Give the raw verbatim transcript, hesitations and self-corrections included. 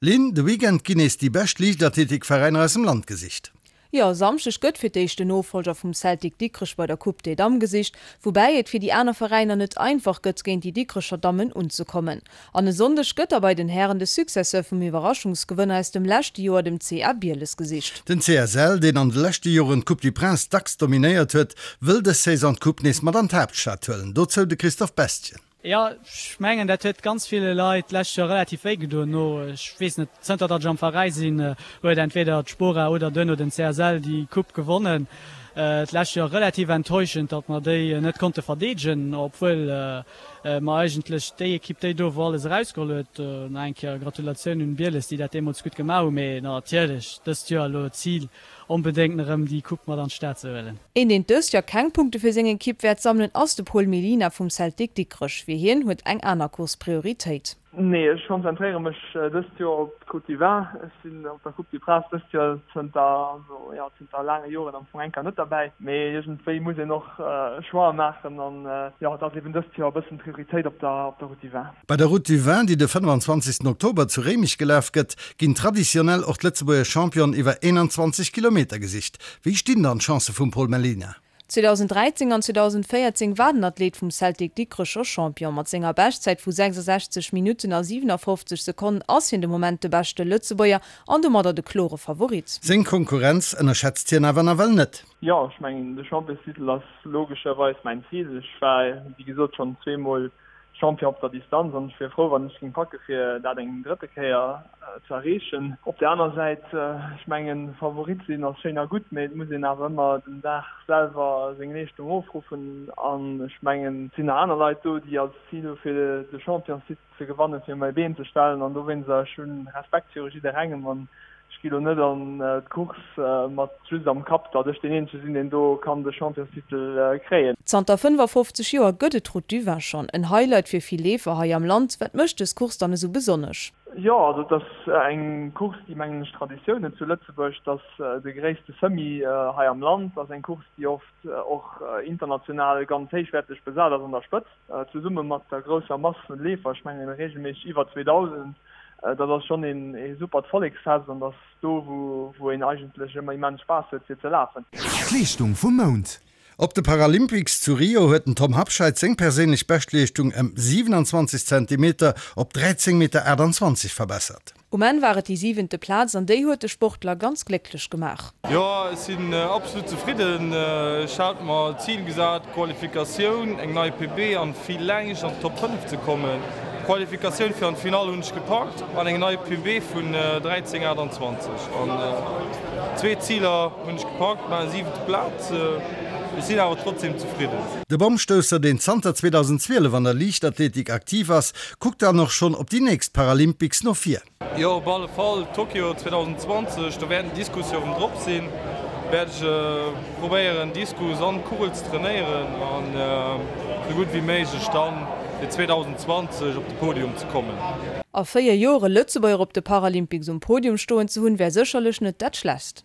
Lynn, de Weekend ginn nees déi bescht Liichtathletikveräiner aus dem Land gesicht. Jo, e Samschdeg gëtt fir d'éischt den Nofollger vum Celtic Dikrech bei der Coupe des Dames gesicht, woubäi et fir déi aner Veräiner net einfach gëtt, géint déi Dikrecher Dammen unzekommen. An e Sonndeg gëtt da bei den Hären de Successeur vum Iwwerraschungsgewënner aus dem leschte Joer, dem C A Bieles, gesicht. Den C S L, deen an de leschte Joren d'Coupe du Prince dacks dominéiert huet, wëll dës Saison d'Coupe nees mat an d'Haaptstad huelen. Dozou de Christophe Bestgen. Jo, ech mengen, dat huet ganz ville Leit d'lescht Joer relativ wéi gedoen. No, ech weess net, zënter datt ech am Veräi sinn, huet entweder d'Spora oder duerno den C S L déi Coupe gewonnen. D'lescht Joer relativ enttäuschend, datt mer déi net konnte verdeedegen, obwuel mer eigentlech déi Ekipp, déi do wou alles erausgeholl huet. Nach eng Kéier Gratulatioun un Bieles, déi dat deemools gutt gemaach hunn. Mee natierlech dëst Joer elo d'Zil, onbedéngt erëm déi Coupe mat an d'Stad ze huelen. Een, deen dëst Joer keng Punkte fir seng Ekipp wäert sammelen, ass de Paul Mellina vum Celtic Dikrech. Fir hien huet eng aner Course Prioritéit. Nee, ech konzentréiere mech dëst Joer op d'Route du Vin. Ech sinn op der Coupe du Prince dëst Joer zënter, also jo, zënter laange Joren am Fong eng Kéier net derbäi. Mee iergendwéi muss een och Choixë maachen an jo, et ass eben dëst Joer e bëssen d'Prioritéit op der, op der Route du Vin. Bei der Route du Vin, déi de fënnefanzwanzegsten Oktober zu Réimech gelaf gëtt, ginn traditionell och d'Lëtzebuerger Championen iwwer eenanzwanzeg Kilometer gesicht. Wéi stinn dann d'Chancë vum Paul Mellina? zweedausendräizéng an zweedausendvéierzéng war den Athlet vum Celtic Dikrech scho Champion. Mat senger Beschtzäit vu sechsasechzeg Minutten a siwenafoffzeg Sekonnen ass hien de Moment de beschte Lëtzebuerger an domadder de klore Favorit. Seng Konkurrenz ënnerschätzt hien awer nawell net. Jo, ech mengen, de Championstitel ass logescherweis mäin Zil. Ech war, wéi gesot, schonn zweemol Champion op der Distanz an ech wier frou, wann ech géing packe fir dat eng drëtte Kéier ze erreechen. Op der aner Säit, ech mengen, Favorit sinn ass schéin a gutt, mee et muss een awer ëmmer den Dag selwer seng Leeschtung ofruffen an ech mengen, et sinn nach aner Leit do, déi als Zil hu fir de Championstitel ze gewannen, fir mei Been ze stellen an dowéinster, ech hunn Respekt viru jidderengem an ech gi lo net an d'Course mat just am Kapp, datt ech deen eenzege sinn, deen do kann de Championstitel kréien. Zanter fënnefafofzeg Joer gëtt et d'Route du Vin schonn. En Highlight fir vill Leefer hei am Land. Wat mécht dës Course dann esou besonnesch? Jo, also et ass eng Course, déi, mengen ech, Traditioun huet zu Lëtzebuerg. Et ass de gréisste Semi hei am Land. Et ass eng Course, déi oft och international ganz héichwäerteg besat ass an der Spëtzt, zesumme mat der grousser Mass vun Leefer, ech mengen reegelméisseg iwwer zweedausend. Dat ass schonn ee supert Volleksfest an dat ass do, wou een eigentlech ëmmer immens Spaass huet fir ze lafen. D'Leeschtung vum Mount. Op de Paralympics zu Rio huet den Tom Habscheid seng perséinlech Beschtleeschtung ëm siewenanzwanzeg Zentimeter op dräizéng Meter aachtanzwanzeg verbessert. Um Enn war et déi siwente Plaz an déi huet de Sportler ganz glécklech gemaach. Jo, ech sinn absolut zefridden. Ech hat mer d'Zil gesat, Qualifikatioun, eng nei P B an villäicht an d'Top fënnef ze kommen. D'Qualifikatioun fir an d'Finall hunn ech gepackt an eng nei P B vun dräizéng aachtanzwanzeg. An zwee Ziler hunn ech gepackt, mä siwente Plaz. Ech sinn awer trotzdem zefridden. De Bommstousser, deen zanter zweedausendzwielef an der Liichtathletik aktiv ass, kuckt dann och schonn op déi nächst Paralympics no vir. Jo, op alle Fall Tokio zweedausendzwanzeg, do wäert den Diskus jo erëm drop sinn. Wäert ech probéieren Diskus an Kugel ze trainéieren an esou gutt wéi méiglech dann fir zweedausendzwanzeg op de Podium ze kommen. A véier Joer e Lëtzebuerger op de Paralympics um Podium stoen ze hunn, wär sécherlech net dat Schlechtst.